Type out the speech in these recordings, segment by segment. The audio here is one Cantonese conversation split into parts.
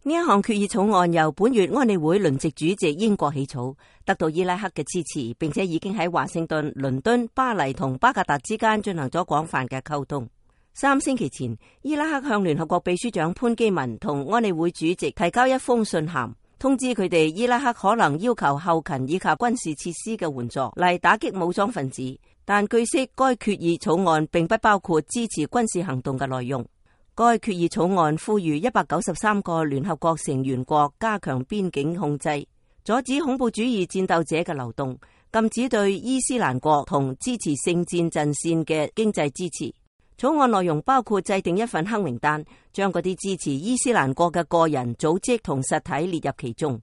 呢一項決議草案由本月安理會輪值主席英國起草，得到伊拉克嘅支持，並且已經喺華盛頓、倫敦、巴黎同巴格達之間進行咗廣泛嘅溝通。3星期前，伊拉克向聯合國秘書長潘基文同安理會主席提交一封信函，通知佢哋伊拉克可能要求後勤以及軍事設施嘅援助嚟打擊武裝分子，但據悉該決議草案並不包括支持軍事行動嘅內容。該決議草案呼籲193個聯合國成員國加強邊境控制，阻止恐怖主義戰鬥者嘅流動，禁止對伊斯蘭國同支持聖戰陣線嘅經濟支持。草案內容包括制定一份黑名單，將嗰啲支持伊斯蘭國嘅個人、組織同實體列入其中，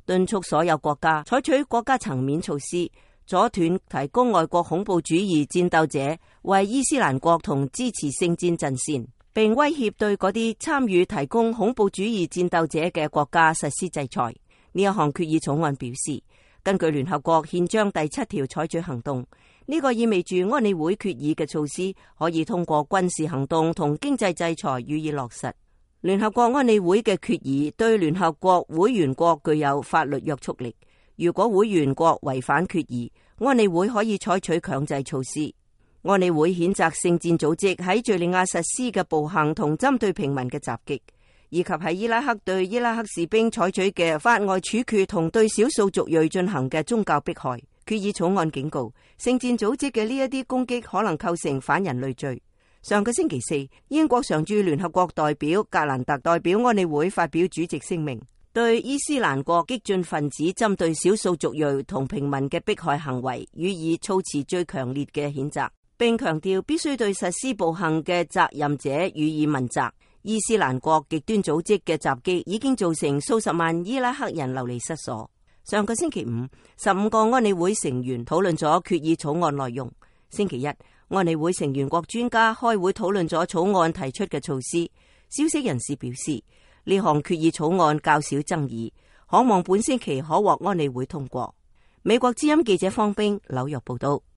敦促所有國家採取國家層面措施，阻斷提供外國恐怖主義戰鬥者為伊斯蘭國同支持聖戰陣線，並威脅對嗰啲參與提供恐怖主義戰鬥者嘅國家實施制裁。呢一項決議草案表示，根據聯合國憲章第7條採取行動，呢個意味住安理會決議嘅措施可以通過軍事行動同經濟制裁予以落實。聯合國安理會嘅決議對聯合國會員國具有法律約束力，如果會員國違反決議，安理會可以採取強制措施。安理會譴責聖戰組織喺敘利亞實施嘅暴行同針對平民嘅襲擊，以及喺伊拉克對伊拉克士兵採取嘅法外處決同對少數族裔進行嘅宗教迫害。決議草案警告，聖戰組織嘅呢一啲攻擊可能構成反人類罪。上個星期四，英國常駐聯合國代表格蘭特代表安理會發表主席聲明，對伊斯蘭國激進分子針對少數族裔同平民嘅迫害行為予以措辭最強烈嘅譴責，並強調必須對實施暴行嘅責任者予以問責。伊斯蘭國極端組織嘅襲擊已經造成數十萬伊拉克人流離失所。上個星期五，15個安理會成員討論咗決議草案內容。星期一，安理會成員國專家開會討論咗草案提出嘅措施。消息人士表示，呢項決議草案較少爭議，可望本星期可獲安理會通過。美國之音記者方冰紐約報道。